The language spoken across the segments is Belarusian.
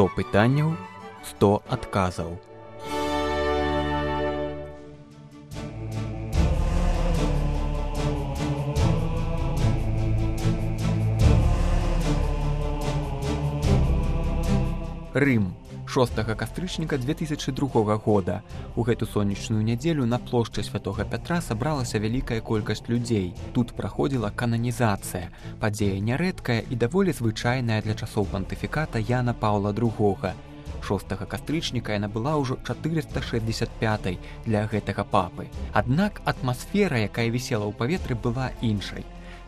100 пытанняў, 100 адказаў. Рым. 6 кастрычніка 2002 года. У гэту сонечную нядзелю на плошчы Святога Пятра сабралася вялікая колькасць людзей. Тут праходзіла кананізацыя. Падзея нярэдкая і даволі звычайная для часоў пантыфіката Яна Паўла II. 6 кастрычніка яна была ўжо 465 для гэтага папы. Аднак атмасфера, якая вісела ў паветры, была іншай.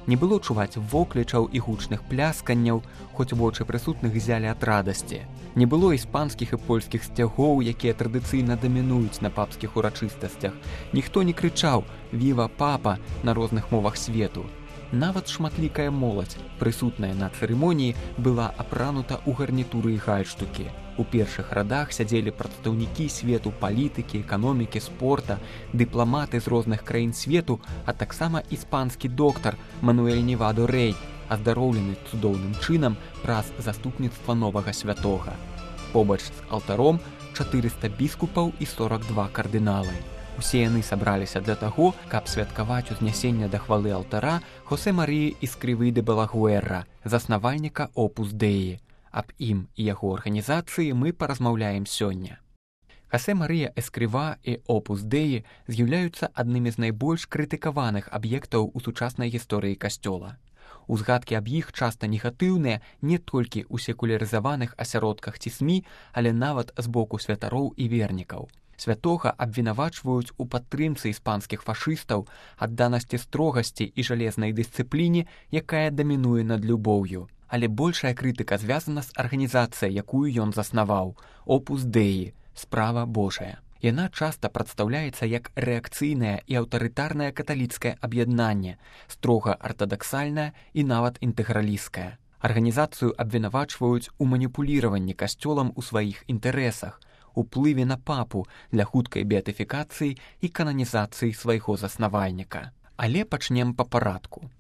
Не было чуваць воклічаў і гучных плясканняў, хоць вочы прысутных зялі ад радасці. Не было іспанскіх і польскіх сцягоў, якія традыцыйна дамінуюць на папскіх урачыстасцях. Ніхто не крычаў «Віва папа» на розных мовах свету. Нават шматлікая моладзь, прысутная на цырымоніі, была апранута ў гарнітуры і гальштукі. У першых радах сядзелі прадстаўнікі свету палітыкі, эканомікі, спорта, дыпламаты з розных краін свету, а таксама іспанскі доктар Мануэль Невадо Рэй, аздароўлены цудоўным чынам праз заступніцтва новага святога. Побач з алтаром 400 біскупаў і 42 кардыналы. Усе яны сабраліся для таго, каб святкаваць узнясенне да хвалы алтара Хосе Маріі Іскрывы де Балагуэра, заснавальніка Опус Деі. Аб ім і яго арганізацыі мы паразмаўляем сёння. Хосе Марія Эскрыва і Опус Деі з'яўляюцца аднымі з найбольш крытыкаваных аб'ектаў у сучаснай гісторыі касцёла. Узгадкі аб іх часта негатыўныя не толькі ў секулярызаваных асяродках ці СМІ, але нават з боку святароў і вернікаў. Святога абвінавачваюць у падтрымцы іспанскіх фашыстаў, адданасці строгасці і жалезнай дысцыпліне, якая дамінуе над любоўю. Але большая крытыка звязана з арганізацыяй, якую ён заснаваў – Опус Деі, справа Божая. Яна часта прадстаўляецца як рэакцыйнае і аўтарытарнае каталіцкае аб'яднанне, строга артадаксальнае і нават інтэгралісцкае. Арганізацыю абвінавачваюць у маніпуліраванні касцёлам у сваіх інтарэсах, уплыве на папу для хуткай беатыфікацыі і кананізацыі свайго заснавальніка. Але пачнем па парадку.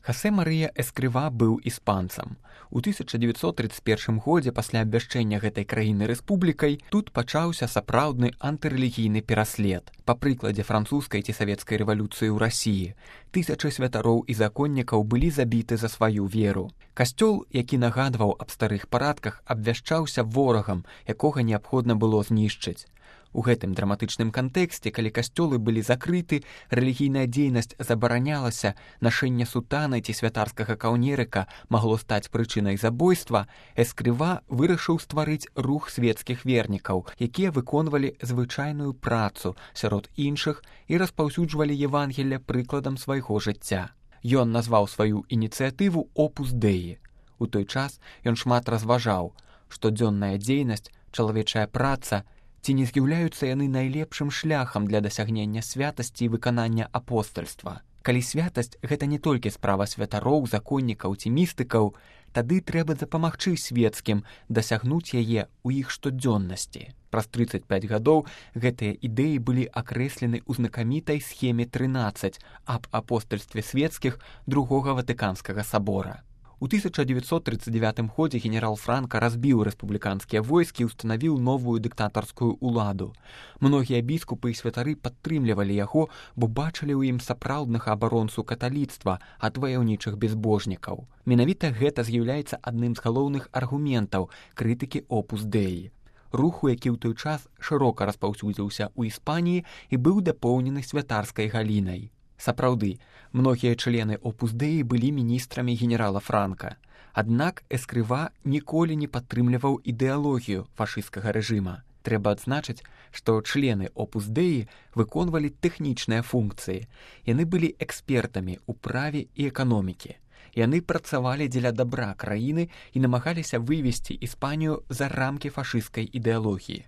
Хосе Марія Эскрыва быў іспанцам. У 1931 годзе пасля абвяшчэння гэтай краіны рэспублікай тут пачаўся сапраўдны антырэлігійны пераслед. Па прыкладзе французскай ці савецкай рэвалюцыі ў Расіі, тысячы святароў і законнікаў былі забіты за сваю веру. Касцёл, які нагадваў аб старых парадках, абвяшчаўся ворагам, якога неабходна было знішчыць. У гэтым драматычным кантэксце, калі касцёлы былі закрыты, рэлігійная дзейнасць забаранялася, нашэнне сутаны ці святарскага каўнерыка магло стаць прычынай забойства, Эскрыва вырашыў стварыць рух свецкіх вернікаў, якія выконвалі звычайную працу сярод іншых і распаўсюджвалі Евангелле прыкладам свайго жыцця. Ён назваў сваю ініцыятыву Опус Деі. У той час ён шмат разважаў, што дзённая дзейнасць, чалавечая праца, ці не з'яўляюцца яны найлепшым шляхам для дасягнення святасці і выканання апостальства. Калі святасць – гэта не толькі справа святароў, законнікаў ці містыкаў, тады трэба дапамагчы свецкім дасягнуць яе ў іх штодзённасці. Праз 35 гадоў гэтыя ідэі былі акрэслены ў знакамітай схеме 13 аб апостальстве свецкіх Другога Ватыканскага сабора. У 1939 годзе генерал Франка разбіў рэспубліканскія войскі і ўстанавіў новую дыктатарскую ўладу. Многія біскупы і святары падтрымлівалі яго, бо бачылі ў ім сапраўднага абаронцу каталіцтва ад ваяўнічых безбожнікаў. Менавіта гэта з'яўляецца адным з галоўных аргументаў крытыкі Опус Деі. Руху, які ў той час шырока распаўсюдзіўся ў Іспаніі і быў дапоўнены святарскай галінай. Сапраўды, многія члены Опус Деі былі міністрамі генерала Франка. Аднак Эскрыва ніколі не падтрымліваў ідэалогію фашысцкага рэжыма. Трэба адзначыць, што члены Опус Деі выконвалі тэхнічныя функцыі. Яны былі экспертамі ў праве і эканомікі. Яны працавалі дзеля дабра краіны і намагаліся вывесці Іспанію за рамкі фашысцкай ідэалогіі.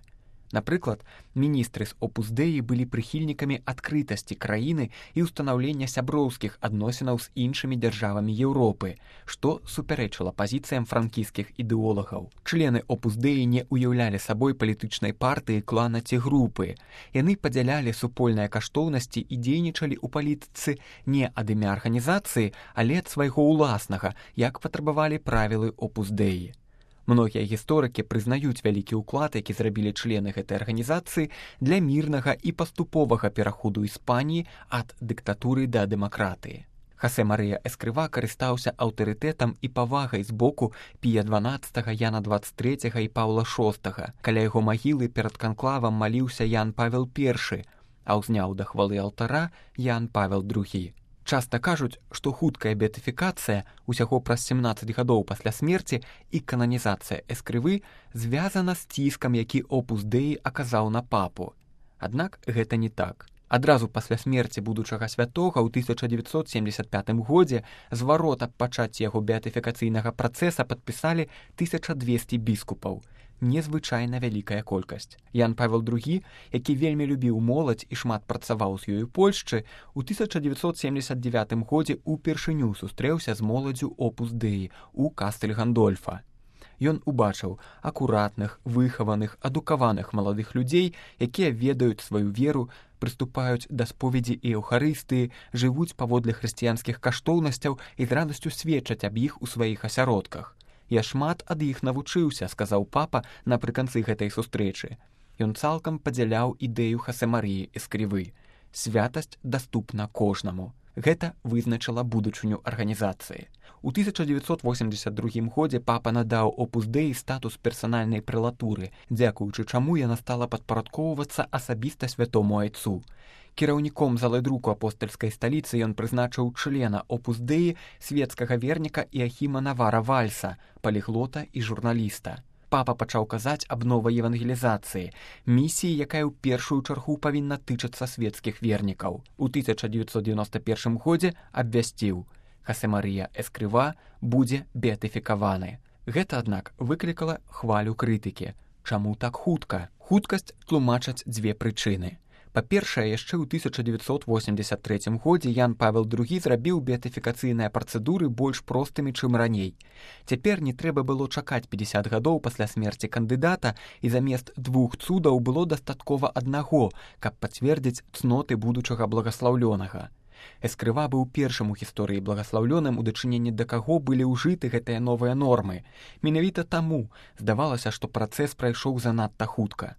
Напрыклад, міністры з Опус Деі былі прыхільнікамі адкрытасці краіны і ўстанаўлення сяброўскіх адносінаў з іншымі дзяржавамі Еўропы, што супярэчыла пазіцыям франкісцкіх ідэолагаў. Члены Опус Деі не ўяўлялі сабой палітычнай партыі, клана ці групы. Яны падзялялі супольныя каштоўнасці і дзейнічалі ў палітыцы не ад імя арганізацыі, але ад свайго ўласнага, як патрабавалі правілы Опус Деі. Многія гісторыкі прызнаюць вялікі ўклад, які зрабілі члены гэтай арганізацыі для мірнага і паступовага пераходу Іспаніі ад дыктатуры да дэмакратыі. Хосе Марыя Эскрыва карыстаўся аўтарытэтам і павагай з боку Пія XII, Яна XXIII і Паўла VI. Каля яго магілы перад канклавам маліўся Ян Павел I, а ўзняў да хвалы алтара Ян Павел II. Часта кажуць, што хуткая беатыфікацыя усяго праз 17 гадоў пасля смерці і кананізацыя Эскрывы звязана з ціскам, які Опус Дэі аказаў на папу. Аднак гэта не так. Адразу пасля смерці будучага святога ў 1975 годзе зварот аб пачацці яго беатыфікацыйнага працэса падпісалі 1200 біскупаў. Незвычайна вялікая колькасць. Ян Павел II, які вельмі любіў моладзь і шмат працаваў з ёю Польшчы, у 1979 годзе упершыню сустрэўся з моладзю Опус Дэі у Кастэль Гандольфа. Ён убачыў акуратных, выхаваных, адукаваных маладых людзей, якія ведаюць сваю веру, прыступаюць да споведзі і эўхарыстыі, жывуць паводле хрысціянскіх каштоўнасцяў і з радасцю сведчаць аб іх у сваіх асяродках. «Я шмат ад іх навучыўся», — сказаў папа напрыканцы гэтай сустрэчы. Ён цалкам падзяляў ідэю Хосе Марыі Эскрывы. Святасць даступна кожнаму. Гэта вызначыла будучыню арганізацыі. У 1982 годзе папа надаў Опус Дэі статус персанальнай прэлатуры, дзякуючы чаму яна стала падпарадкоўвацца асабіста святому айцу. Кіраўніком залы друку апостальскай сталіцы ён прызначыў члена Опус Дэі свецкага верніка Іахіма Навара Вальса, паліглота і журналіста. Папа пачаў казаць аб новай евангелізацыі, місіі, якая ў першую чаргу павінна тычацца свецкіх вернікаў. У 1991 годзе абвясціў: Хосе Марыя Эскрыва будзе беатыфікаваны. Гэта, аднак, выклікала хвалю крытыкі. Чаму так хутка? Хуткасць тлумачаць дзве прычыны. Па-першае, яшчэ ў 1983 годзе Ян Павел II зрабіў беатыфікацыйныя працэдуры больш простымі, чым раней. Цяпер не трэба было чакаць 50 гадоў пасля смерці кандыдата, і замест 2 цудаў было дастаткова аднаго, каб пацвердзіць цноты будучага благаслаўлёнага. Эскрыва быў першым у гісторыі благаслаўлёным, у дачыненні да каго былі ўжыты гэтыя новыя нормы. Менавіта таму здавалася, што працэс прайшоў занадта хутка.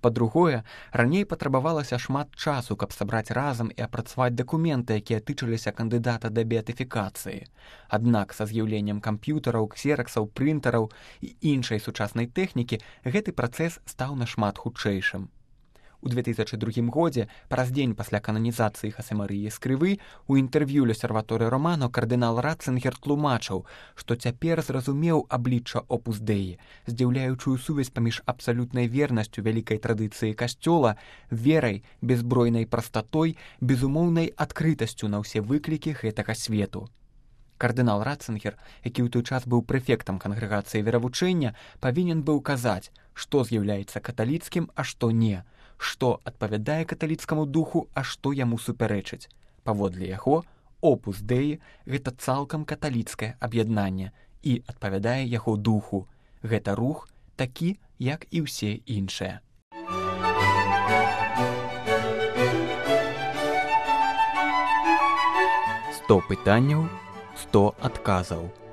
Па-другое, раней патрабавалася шмат часу, каб сабраць разам і апрацаваць дакументы, якія тычыліся кандыдата да беатыфікацыі. Аднак са з'яўленнем камп'ютараў, ксераксаў, прынтараў і іншай сучаснай тэхнікі гэты працэс стаў нашмат хутчэйшым. У 2002 годзе, праз дзень пасля кананізацыі Хосе Марыі Эскрывы, у інтэрв'ю L'Osservatore Romano кардынал Ратцынгер тлумачыў, што цяпер зразумеў аблічча Опус Дэі, здзіўляючую сувязь паміж абсалютнай вернасцю вялікай традыцыі касцёла, верай, беззбройнай прастатой, безумоўнай адкрытасцю на ўсе выклікі гэтага свету. Кардынал Ратцынгер, які ў той час быў прэфектам кангрэгацыі веравучэння, павінен быў казаць, што з'яўляецца каталіцкім, а што не, што адпавядае каталіцкаму духу, а што яму супярэчыць. Паводле яго, Опус Дэі – гэта цалкам каталіцкае аб'яднанне і адпавядае яго духу. Гэта рух такі, як і ўсе іншыя. 100 пытанняў, 100 адказаў.